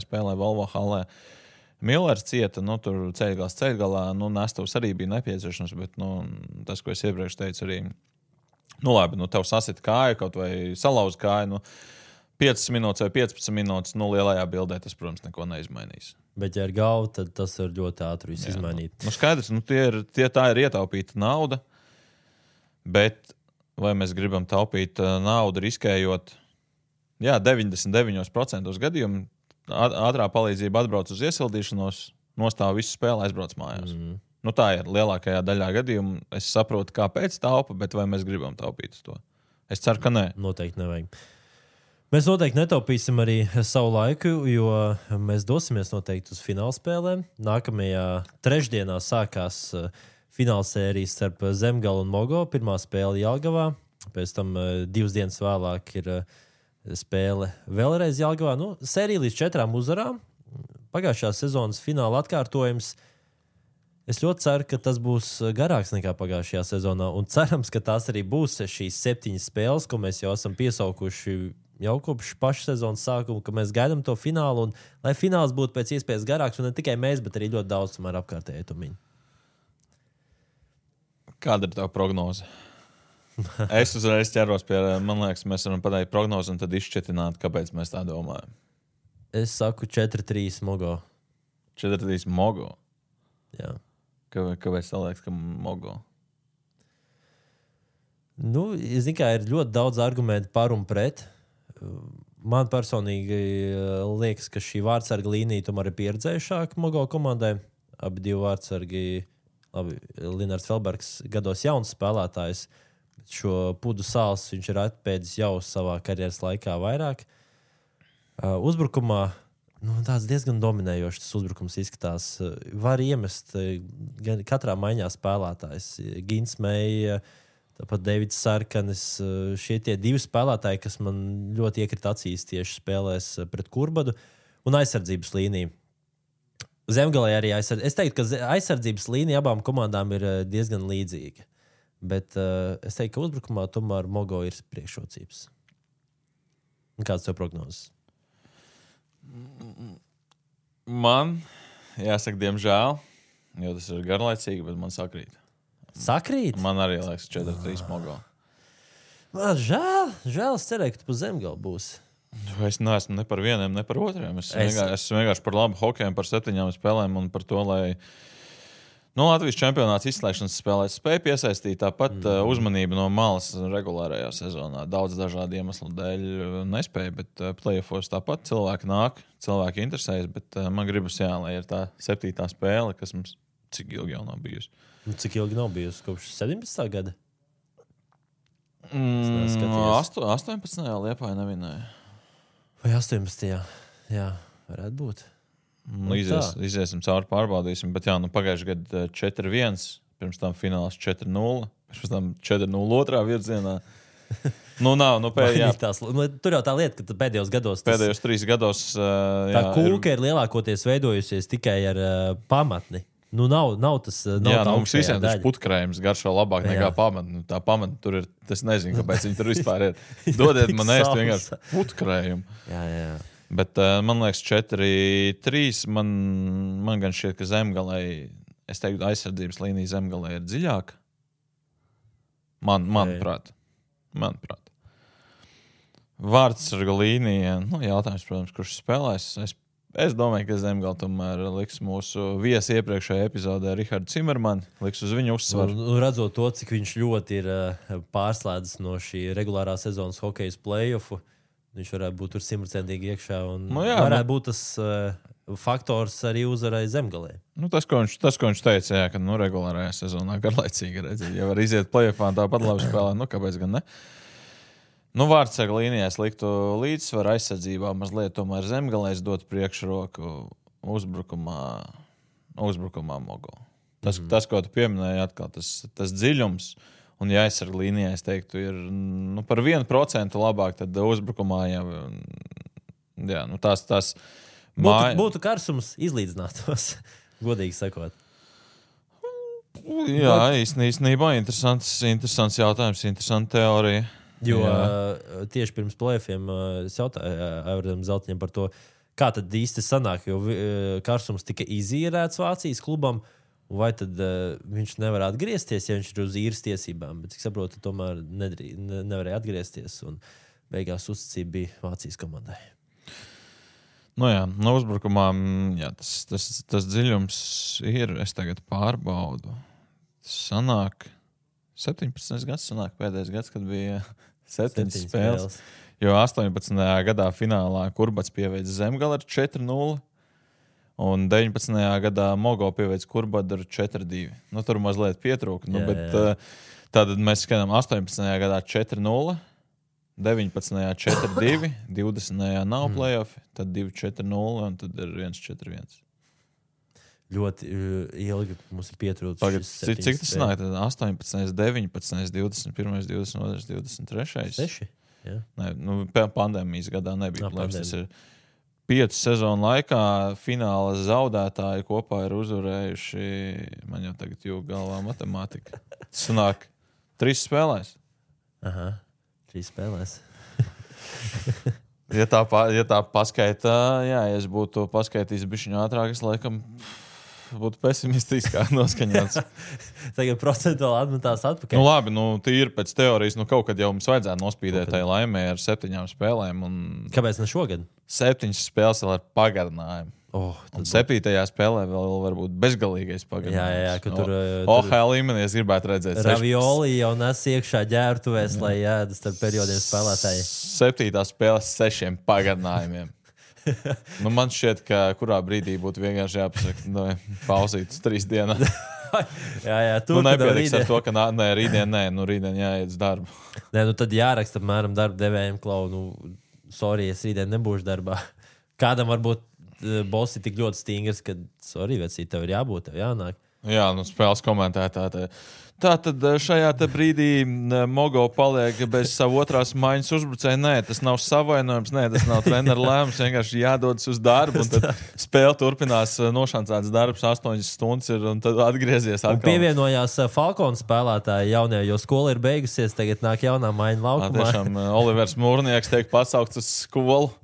spēlē Volvo halē Millers cieta, tur ceļgalā, Nestuvs arī bija nepieciešams, bet tas, ko es iepriekš teicu, arī, labi, tev sasit kāju, kaut vai salauz kāju, 5 minūtes vai 15 minūtes, lielajā bildē tas, protams, neko neizmainīs. Bet, ja ir galva, tad tas var ļoti ātri visu izmainīt. Skaidrs, tā ir ietaupīta nauda, bet vai mēs gribam taupīt naudu riskējot, 99% gadījumu, ātrā palīdzība atbrauc uz iesildīšanos, nostāv visu spēli, aizbrauc mājās. Tā ir lielākajā daļā gadījumu. Es saprotu, kāpēc taupa, bet vai mēs gribam taupīt uz to? Es ceru, ka nē. Noteikti nevajag. Mēs noteikti netaupīsim arī savu laiku, jo mēs dosimies noteikti uz finālspēlēm. Nākamajā trešdienā sākās finālsērijas starp Zemgalu un Mogo. Pirmā spēle Jelgavā, pēc tam 2 dienas vēlāk ir spēle vēlreiz Jelgavā. Sērija līdz 4 uzvarām. Pagājušās sezonas fināla atkārtojums. Es ļoti ceru, ka tas būs garāks nekā pagājušajā sezonā. Un cerams, ka tās arī būs šīs 7 spēles, ko mēs jau esam piesaukuši jau kopš paša sezonas sākuma, ka mēs gaidām to finālu. Un, lai fināls būtu pēc iespējas garāks, un ne tikai mēs, bet arī ļoti daudz tomēr apkārtēji tumiņi. Kāda ir tava prognoze? Es uzreiz ķeros pie, man liekas, mēs varam pateikt prognozi un tad izšķetināt, kāpēc mēs tā domājam. Es saku 4-3 Mogo. 4-3 Mogo? Jā. Kāpēc tā liekas, ka Mogo? Es zinu, kā ir ļoti daudz argumentu par un pret. Man personīgi liekas, ka šī vārdsarga līnija tomēr ir pieredzējušāka Mogo komandai. Abi 2 vārdsargi, Linards Felbergs, gados jauns spēlētājs. Šo Pudu Sāls viņš ir atpēdis jau savā karjeras laikā vairāk. Uzbrukumā tāds diezgan dominējošs tas uzbrukums izskatās. Var iemest katrā maiņā spēlētājs. Gins Meija, tāpat Davids Sarkanis. Šie tie 2 spēlētāji, kas man ļoti iekrita acīs tieši spēlēs pret Kurbadu. Un aizsardzības līnija. Zemgalē arī aizsardzības. Es teiktu, ka aizsardzības līnija abām komandām ir diezgan līdzīga. Bet es teiktu, ka uzbrukumā tomēr Mogo ir priekšrocības. Kāds tev prognozes? Man jāsaka, diemžēl, jo tas ir garlaicīgi, bet man sakrīt. Sakrīt? Man arī liekas 4-3 Mogo. Man žēl. Es cerēju, ka tu pa Zemgalu būsi. Es neesmu ne par vieniem, ne par otriem. Es vienkārši par labu hokeju, par 7 spēlēm un par to, lai Latvijas čempionāts izslēgšanas spēlēs spēja piesaistīt tāpat uzmanību no malas regulārajā sezonā. Daudz dažādu iemeslu dēļ nespēja, bet playoffos tāpat cilvēki nāk, cilvēki interesējas, bet man gribas, lai ir tā 7. spēle, kas mums cik ilgi jau nav bijusi. Cik ilgi nav bijusi? Kopš 17. gada? 18. Liepāja nevinēja. Vai 18. Jā, varētu būt. Iziesim cauri, pārbaudīsim. Bet pagājušajā gadā 4-1, pirms tam fināls 4-0, pirms tam 4-0 otrā virzienā. Tur jau tā lieta, ka pēdējos gados... Pēdējos 3 gados... tā kūka ir lielākoties veidojusies tikai ar pamatni. nav tas. Nav mums visiem tas putkrējums garšo labāk nekā pamata. Tā pamata tur ir, es nezinu, kāpēc viņi tur vispār ir. Dodiet man ēst vienkārši putkrējumu. Jā. Bet man liekas 4-3, man gan šķiet, ka zemgalē, es teiktu, aizsardzības līnija zemgalē ir dziļāka. Manuprāt. Vārdsarga līnija, jautājums, protams, kurš spēlēs. Es domāju, ka zemgala tomēr liks mūsu viesi iepriekšējā epizodē Rihardu Cimermani, liks uz viņu uzsvaru. Redzot to, cik viņš ļoti ir pārslēdzis no šī regulārā sezonas hokejas play-offu, viņš varētu būt tur 100% iekšā un varētu būt tas faktors arī uzvarai zemgalē. Tas, ko viņš teica, ka regulārajā sezonā garlaicīgi redzēt. Ja var iziet play-offā tāpat labi spēlēt, kāpēc gan ne? Vārdsarga līnijā liktu līdzsvaru aizsardzībā mazliet tomēr zemgalēs dot priekšroku uzbrukumā Mogo. Tas, ko tu pieminēji atkal, tas dziļums. Un, ja aizsarga līnijā, es teiktu, ir par 1% labāk, tad uzbrukumā jau tās būtu karsums izlīdzinātos, godīgi sakot. Jā, īstenībā interesants jautājums, interesanta teorija. Jo tieši pirms play-offiem es jautāju Aivaram Zeltiņam par to, kā tad īsti sanāk, jo karsums tika izīrēts Vācijas klubam. Vai tad viņš nevar atgriezties, ja viņš ir uz īres tiesībām? Bet, cik saprotu, tomēr nevarēja atgriezties. Un beigās uzticība bija Vācijas komandai. Uzbrukumā tas dziļums ir. Es tagad pārbaudu. Tas sanāk 17 gads, pēdējais gads, kad bija 7 spēles. Jo 18. gadā finālā Kurbats pieveica zemgali ar 4-0. Un 19. gadā Mogo pieveic Kurbadu ar 4-2. Tur mazliet pietrūka. Bet tātad mēs skatām 18. gadā 4-0, 19. 4-2, 20. nav play-offi, tad 2-4-0 un tad ir 1-4-1. Ļoti ilgi mums ir pietrūcis. Tagad, cik tas nāk? 18, 19, 21, 22, 23. 6? Jā. Pandēmijas gadā nebija play-offs. Tas ir 5 sezonu laikā fināla zaudētāji kopā ir uzvarējuši, man jau tagad jūg galvā matemātika. Sanāk 3 spēlēs. Aha, 3 spēlēs. Ja tā paskaitā, ja es būtu paskaitījis bišķiņu ātrāk, es laikam būtu pesimistiskāk noskaņots. Tagad procentuāli atmetās atpakaļ. Labi, tīri pēc teorijas, kaut kad jau mums vajadzētu nospīdēt tai laimē ar 7 spēlēm. Kāpēc ne šogad? 7 spēles vēl ar pagarinājumu. Un 7. spēlē vēl varbūt bezgalīgais pagarinājums. Jā, ka tur... OHL līmenī es gribētu redzēt. Ravioli jau nes iekšā ģērtuvēs, lai ēdas starp periodiem spēlētāji. 7. spēle 6 pagarinājumiem. Man šķiet, ka kurā brīdī būtu vienkārši jāpasaka, pauzīt uz 3 dienas. jā, tur nepietiks ar to, ka rītdien jāiet uz darbu. Tad jāraksta apmēram darba devējiem klaunu. Sorry, es rītdien nebūšu darbā. Kādam varbūt boss ir tik ļoti stingrs, ka sorry, vecīt, tev ir jābūt, tev jānāk. Jā, spēles komentētāji. Tātad šajā brīdī Mogo paliek bez savu otrās maiņas uzbrucēju. Nē, tas nav savainojums, tas nav treneru lēmums. Vienkārši jādodas uz darbu. Un tad spēle turpinās nošancāts darbs, 8 stundas ir, un tad atgriezies atkal. Un pievienojās Falkona spēlētāji jaunie, jo skola ir beigusies, tagad nāk jaunā maiņa laukumā. Tiešām Olivers Mūrnieks tiek pasaukts uz skolu.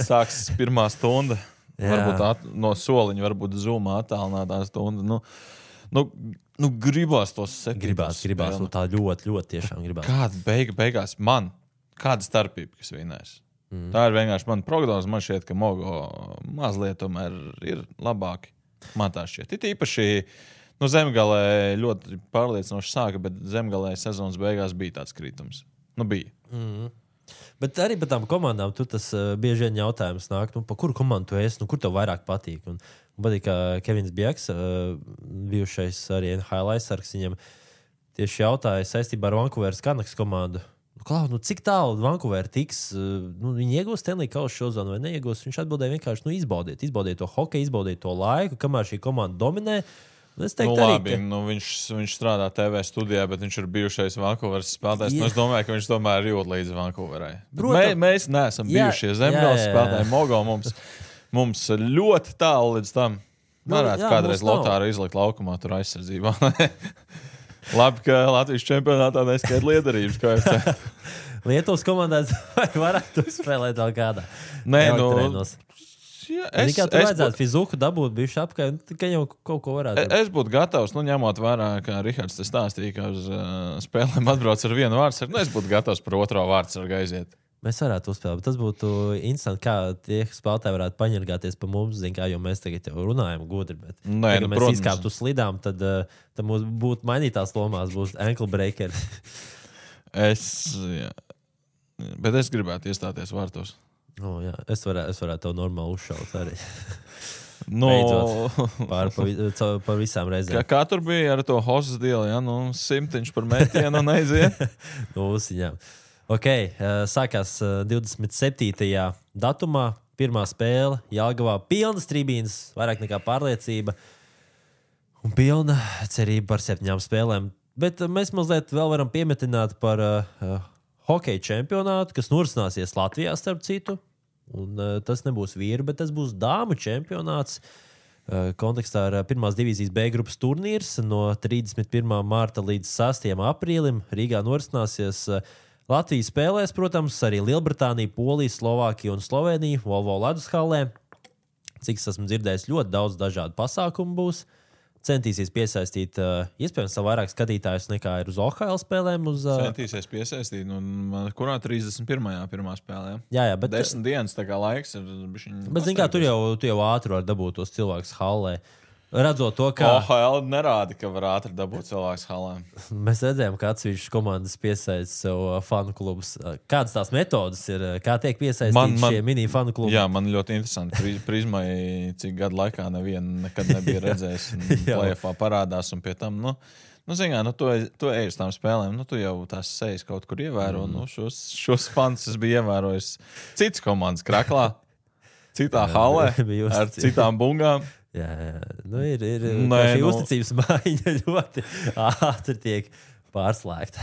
Sāks 1. stunda. Varbūt no soliņa, varbūt Zoomā attālinātā stunda. Gribās tos 7. Gribās, tā ļoti tiešām gribās. Kāda beigās kāda starpība, kas vinēs? Tā ir vienkārši mana prognoze. Man šķiet, ka Mogo mazliet tomēr ir labāki. Man tā šķiet. It īpaši zemgalē ļoti pārliecinoši sāka, bet zemgalē sezonas beigās bija tāds kritums. Bija. Bet arī par tām komandām tur tas bieži vien jautājums nāk, pa kuru komandu tu esi, kur tev vairāk patīk. Un patīk, ka Kevins Bjeks, bijušais arī NHL aizsargs, viņam tieši jautāja saistībā ar Vancouveras Canucks komandu. Cik tālu Vancouver tiks? Viņi iegūs Stanley Kausa šozonu vai neiegūs? Viņš atbildēja vienkārši, izbaudiet to hokeju, izbaudiet to laiku, kamēr šī komanda dominē. Es teiktu, labi, viņš strādā TV studijā, bet viņš ir bijušais Vancouveras spēlētājs. Es domāju, ka viņš tomēr ir jūt līdzi Vancouverai. Mēs neesam bijušie zemgales spēlētāji. Mogo mums ļoti tālu līdz tam. Varētu kādreiz Lotāru izlikt laukumā tur aizsardzībā. Labi, ka Latvijas čempionātā neskaita liederības, kā es teicu. Lietuvas komandās varētu spēlēt vēl kādā. Nē, Es vajadzētu fizuku dabūt bišķi apkārt, ka jau kaut ko varētu. Es būtu gatavs, ņemot vērā, kā Rihards te stāstīja, ka uz spēlēm atbrauc ar vienu vārdsargu. Es būtu gatavs par otro vārdsargu aiziet. Mēs varētu uzspēlēt, bet tas būtu interesanti, kā tie spēlētāji varētu paņirgāties pa mums, jo mēs tagad jau runājam gudri, bet ja mēs izkāptu uz slidām, tad mums būtu mainītās lomās, būs ankle breaker. Bet es gribētu iestāties vārtos. Jā. Es varētu tev normāli uzšaut arī. Par visām reizēm. Kā tur bija ar to hosas dielu, ja? 100 par metienu aiziet? Usiņām. Sākās 27. datumā. Pirmā spēle Jelgavā. Pilnas tribīnes, vairāk nekā pārliecība. Un pilna cerība par 7 spēlēm. Bet mēs mazliet vēl varam piemetināt par hokeja čempionātu, kas norisināsies Latvijā starp citu. Un tas nebūs vīru, bet tas būs dāmu čempionāts. Kontekstā ar pirmās divīzijas B grupas turnīrs no 31. marta līdz 6. aprīlim Rīgā norisināsies. Latvija spēlēs, protams, arī Lielbritānija, Polija, Slovākija un Slovenija Volvo ledus hallē. Cik es esmu dzirdējis, ļoti daudz dažādu pasākumu būs. Centīsies piesaistīt, iespējams, vairāk skatītājus nekā ir uz OHL spēlēm. Centīsies piesaistīt, kurā 31. pirmā spēlē. Jā, bet 10 dienas tā kā laiks ir. Bet, zin kā, tu jau ātri var dabūt tos cilvēkus hallē. Redzot to, ka OHL nerāda, ka var ātri dabūt cilvēks hallē. Mēs redzējām, ka atsevišķas komandas piesaista sev fanu klubus. Kādas tās metodas ir? Kā tiek piesaistīti šie mini fanu klubi? Jā, man ļoti interesanti. Prizmai, cik gadu laikā nevienu nekad nebija redzējis. Play-offā parādās un pie tam, tu ej uz tām spēlēm, tu jau tās sejas kaut kur ievēro. Šos fans es biju ievērojis citas komandas Kraklā, citā hallē, ar citām bungām. Jā. Ir šī uzticības maiņa ļoti ātri tiek pārslēgta.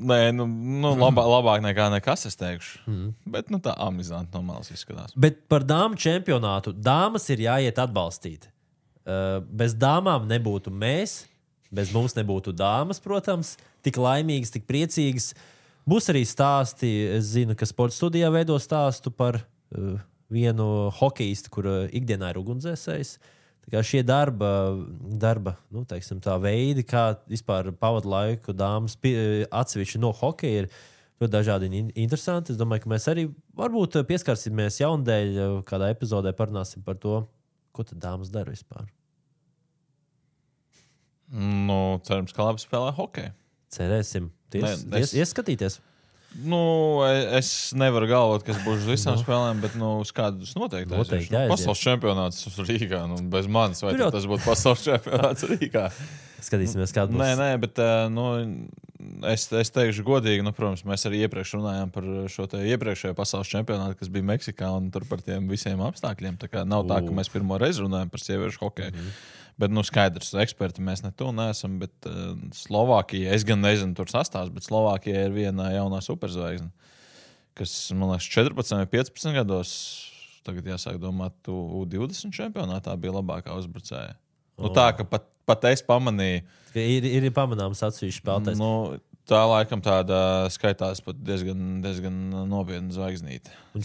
Labāk nekā nekas, es teikšu. Bet tā amizanti no malas izskatās. Bet par dāmu čempionātu. Dāmas ir jāiet atbalstīt. Bez dāmām nebūtu mēs, bez mums nebūtu dāmas, protams. Tik laimīgas, tik priecīgas. Būs arī stāsti, es zinu, ka sporta studijā veido stāstu par vienu hokeistu, kur ikdienā ir ugunsdzēsējs. Šie darba tā veidi, kā vispār pavada laiku dāmas atsevišķi no hokeja, ir ļoti dažādi interesanti. Es domāju, ka mēs arī varbūt pieskarsimies jaundēļ kādā epizodē parunāsim par to, ko tad dāmas dara vispār. Cerams, ka labi spēlē hokeju. Cerēsim. Ieskatīties. Es nevaru galvot, kas būs uz visām spēlēm, bet uz kādus noteikti aizies. Pasaules čempionāts Rīgā. Bez manis, vai tas būtu pasaules čempionāts Rīgā? Skatīsimies, kāda būs. Nē, bet es teikšu godīgi, protams, mēs arī iepriekš runājām par šo iepriekšējo pasaules čempionātu, kas bija Meksikā, un tur par tiem visiem apstākļiem. Tā kā nav tā, ka mēs pirmo reizi runājam par sieviešu hokeju. Bet, skaidrs, eksperti mēs neesam, bet Slovākija, es gan nezinu tur sastāvs, bet Slovākija ir viena jaunā superzvaigzne, kas, man liekas, 14 vai 15 gados, tagad jāsāk domāt, U20 čempionātā bija labākā uzbrucēja. Tā, ka pat es pamanīju. Ir pamanāms atsevišķi spēlētājs. Tā laikam tāda skaitās pat diezgan nopietna zvaigznīte. Un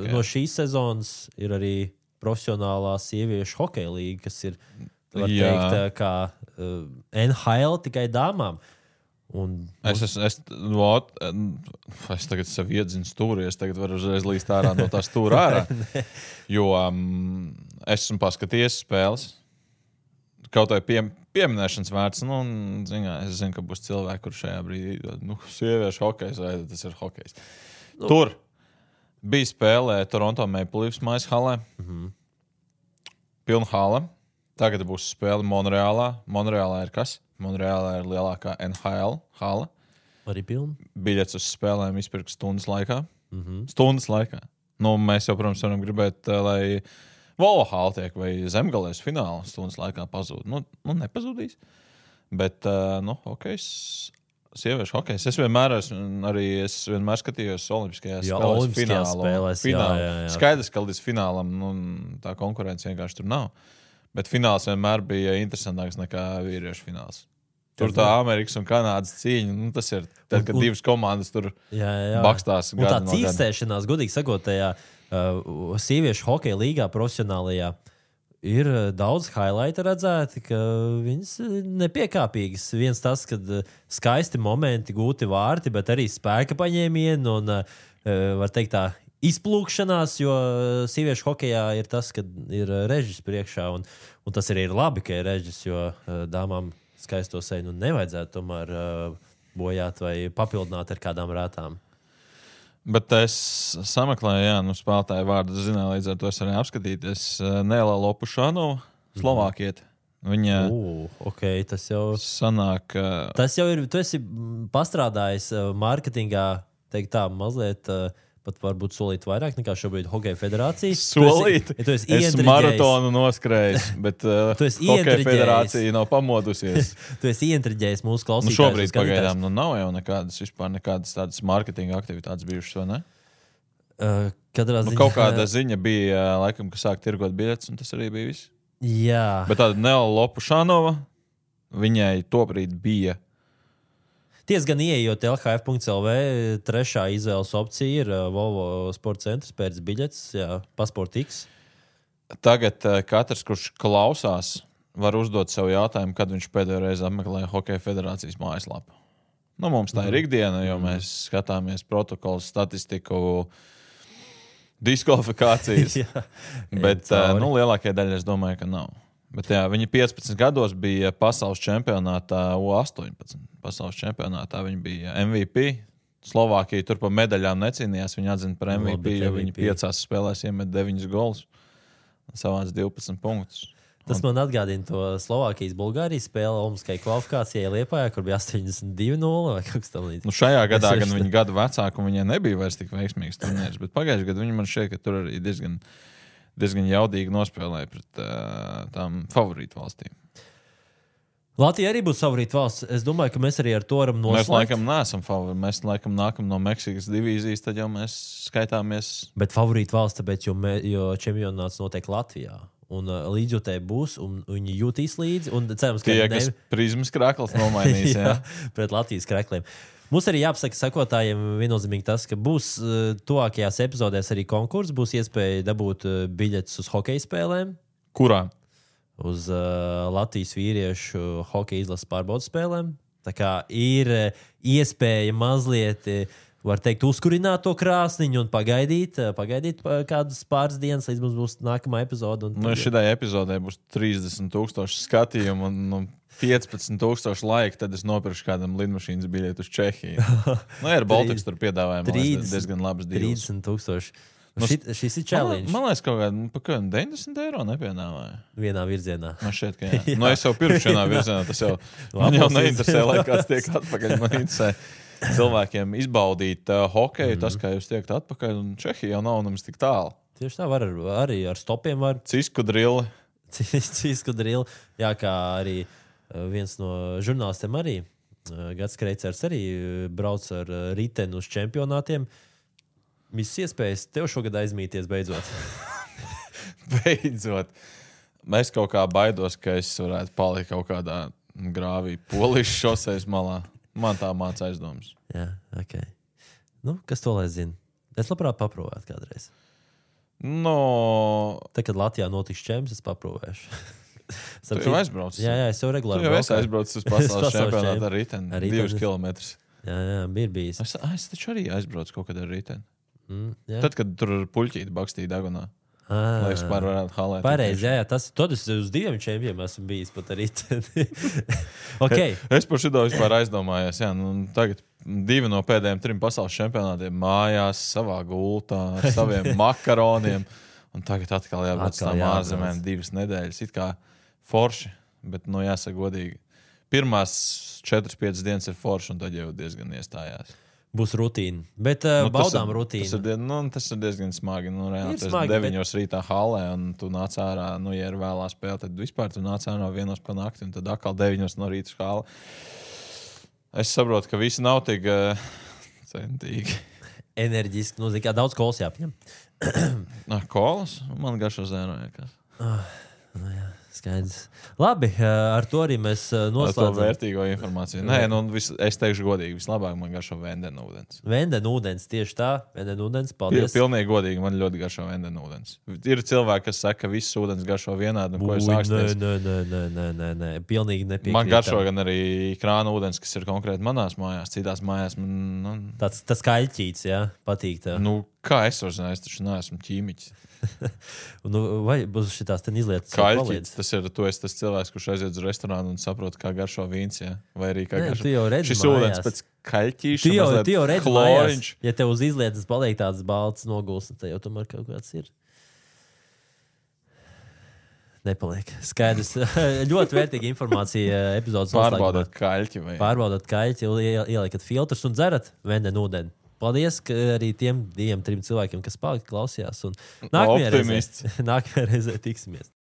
no šīs sezonas ir arī profesionālā sieviešu hokeja līga, kas ir var teikt, kā NHL tikai dāmām. Es tagad sev iedzinu stūri, es tagad varu uzreiz līst ārā no tā stūra ārā. Jo esmu paskatījies spēles. Kaut vai pieminēšanas vērts. Es zinu, ka būs cilvēki, kur šajā brīdī sieviešu hokejs, vai tas ir hokejs. Tur bija spēlē Toronto Maple Leafs mājas hallē. Pilna hallē. Tagad būs spēle Monreālā. Monreālā ir kas? Monreālā ir lielākā NHL hala. Arī pilna. Biļets uz spēlēm izpirkt stundas laikā. Stundas laikā. Mēs jau, protams, varam gribēt, lai Volvo hala tiek vai Zemgalēs fināla stundas laikā pazūd. Nepazūdīs. Bet, hokejs, sieviešu hokejs. Es vienmēr skatījos olimpiskajās spēlēs finālu. Jā. Skaidrs, ka līdz finālam tā konkurence vienkārši tur nav. Bet fināls vienmēr bija interesantāks nekā vīriešu fināls. Tur tā Amerikas un Kanādas cīņa, tas ir tad, kad divas komandas tur bakstās. Un tā cīkstēšanās, godīgi sakot, tajā sieviešu hokeja līgā profesionālajā ir daudz highlighta redzēti, ka viņas nepiekāpīgas. Viens tas, kad skaisti momenti, gūti vārti, bet arī spēka paņēmieni un, var teikt tā, izplūkšanās, jo sieviešu hokejā ir tas, ka ir režis priekšā, un tas arī ir labi, ka ir režis, jo dāmām skaisto seju nevajadzētu tomēr bojāt vai papildināt ar kādām rētām. Bet es sameklēju, spēlētāju vārdu zināju, līdz ar to es arī apskatīties. Nela Lopušanova, Slovākieta. Viņa okay, tas jau sanāk. Tas jau ir, tu esi pastrādājis mārketingā, teikt tā, mazliet pat varbūt solīt vairāk nekā šobrīd Hokeja federācija. Solīt? Es maratonu noskrējis, bet Hokeja federācija nav pamodusies. Tu esi ieintriģējis mūsu klausītājus. Šobrīd pagaidām nav jau nekādas tādas mārketinga aktivitātes bijušas, vai ne? Kaut kāda ziņa bija, laikam, ka sāk tirgot biļetes, un tas arī bija viss. Jā. Bet tāda Nela Lopušanova, viņai tobrīd bija. Ties gan ieejot LHF.lv, trešā izvēles opcija ir Volvo sporta centrs pēc biļetes, Passport X. Tagad katrs, kurš klausās, var uzdot sev jautājumu, kad viņš pēdējo reizi apmeklēja Hokeja federācijas mājaslapu. Mums tā ir ikdiena, jo mēs skatāmies protokolus, statistiku, diskvalifikācijas. Bet lielākajai daļai es domāju, ka nav. Bet viņa 15 gados bija pasaules čempionātā U18. Pasaules čempionātā viņa bija MVP. Slovākija tur pa medaļām necīnījās. Viņa atzina par MVP, jo viņa 5 spēlēs iemet 9 golus un savāc 12 punktus. Tas man atgādina to Slovākijas-Bulgārijas spēli Olimpiskajai kvalifikācijai Liepājā, kur bija 82-0 vai kaut kas tam līdzīgs. Šajā gadā gan viņa gadu vecāka un viņai nebija vairs tik veiksmīgs turnīrs, bet pagājušajā gadā viņa man šķiet, ka tur arī diezgan jaudīgi nospēlēja pret tām favorītu valstīm. Latvija arī būs favorīta valsts. Es domāju, ka mēs arī ar to varam noslēgt. Mēs laikam neesam favorīti. Mēs laikam nākam no Meksikas divīzijas, tad jau mēs skaitāmies. Bet favorīta valsts, tāpēc, jo čempionāts notiek Latvijā. Un līdzjūtēji būs, un viņi jutīs līdzi. Un cerams, ka kas prizmas krakls nomainīs. jā, pret Latvijas krakliem. Mums arī jāpasaka sekotājiem viennozīmīgi tas, ka būs tuvākajās epizodēs arī konkurss, būs iespēja dabūt biļetes uz hokeja spēlēm. Kurā? Uz Latvijas vīriešu hokeja izlases pārbaudas spēlēm. Tā kā ir iespēja mazliet, var teikt, uzkurināt to krāsniņu un pagaidīt kādas pāris dienas, līdz mums būs nākamā epizode. Šitai epizodē būs 30,000 skatījumu un 15,000 laika, tad es nopirkšu kādam lidmašīnas biļeti uz Čehiju. Ar Baltikas tur piedāvājumu diezgan labas dīles. 30,000. Šis ir challenge. Man liekas, kaut kādā 90 eiro nepiedāvāja. Vienā virzienā. Man šķiet, ka jā. Es jau pirkšu vienā virzienā, tas jau man jau neinteresē, lai kāds tiek atpakaļ. Man interesē cilvēkiem izbaudīt hokeju, tas, kā jūs tiekat atpakaļ, un Čehija jau nav nemaz tik tālu. Tieši tā, var arī ar stopiem var. Cisku drili. Cisku drili. Jā, kā arī viens no žurnālistiem arī, Gats Kreicers arī brauc ar riteni uz čempionātiem. Visas iespējas tev šogad aizmīties beidzot. Beidzot. Es kaut kā baidos, ka es varētu palikt kaut kādā grāvī Polijas šosejas malā. Man tā māca aizdomas. Jā, ok. Kas to lai zina? Es labprāt paprovētu kādreiz. Tad, kad Latvijā notiks čemps, es paprovēšu. Tu jau aizbraucis? Jā, es jau regulāri braucu. Tu jau esi aizbraucis uz pasaules čempionātu ar riteni. 2 kilometrus. Jā, bija bijis. Es taču arī aizbraucu kaut kad ar riteni. Tad, kad tur ar puļķīti bakstīja dagunā. Lai es varētu halēt. Pareizi, jā. Tad es uz 2 čempiem esmu bijis pat ar riteni. Okay. Es par šito vispār aizdomājos. Jā, tagad 2 no pēdējiem 3 pasaules čempionātiem mājās, savā gultā, ar saviem makaroniem. Un tagad atkal jābūt tām ārzemēm 2 nedēļas. It kā forši, bet, jāsaka godīgi. Pirmās 4-5 dienas ir forši, un tad jau diezgan iestājās. Būs rutīna. Bet baudām rutīnu. Tas ir diezgan smagi. Reāli, tas ir 9 rītā halē, un tu nāc ārā, ja ir vēlā spēle, tad vispār tu nāc ārā 1 pa nakti, un tad atkal 9 no rīta halē. Es saprotu, ka visi nav tik centīgi. Enerģiski. Kā daudz kolas jāpņem. Kolas? Man garšo zēno. Jā. Skaidrs. Labi, ar to arī mēs noslēdzam. To vērtīgo informāciju. Nē, es teikšu godīgi, vislabāk man garšo vendenūdens. Vendenūdens, tieši tā. Vendenūdens, paldies. Pilnīgi godīgi, man ļoti garšo vendenūdens. Ir cilvēki, kas saka, ka viss ūdens garšo vienādi. Nē, pilnīgi nepiekrītu. Man garšo gan arī krāna ūdens, kas ir konkrēti manās mājās. Citās mājās man... Tas kaļķīts, jā, patīk tā. Kā es varu zināt, es taču neesmu ķīmiķis. Vai būs šitās ten izlietas? Kaļķis, tu esi tas cilvēks, kurš aiziet uz restorānu un saprot, kā garšo vīns, jā? Vai arī kā garšo. Tu jau redzi šis mājās. Ūdens pēc kaļķīša, tu jau redzi kloriņš. Mājās. Ja tev uz izlietas paliek tāds balts noguls, tad jau tomēr kaut kāds ir. Nepaliek. Skaidrs. Ļoti vērtīga informācija epizodes noslēgumā. Pārbaudat kaļķi, ieliekat filtrus un dzerat vendenūdeni. Paldies arī tiem 2-3 cilvēkiem, kas palika klausījās. Nākamajā reizē tiksimies.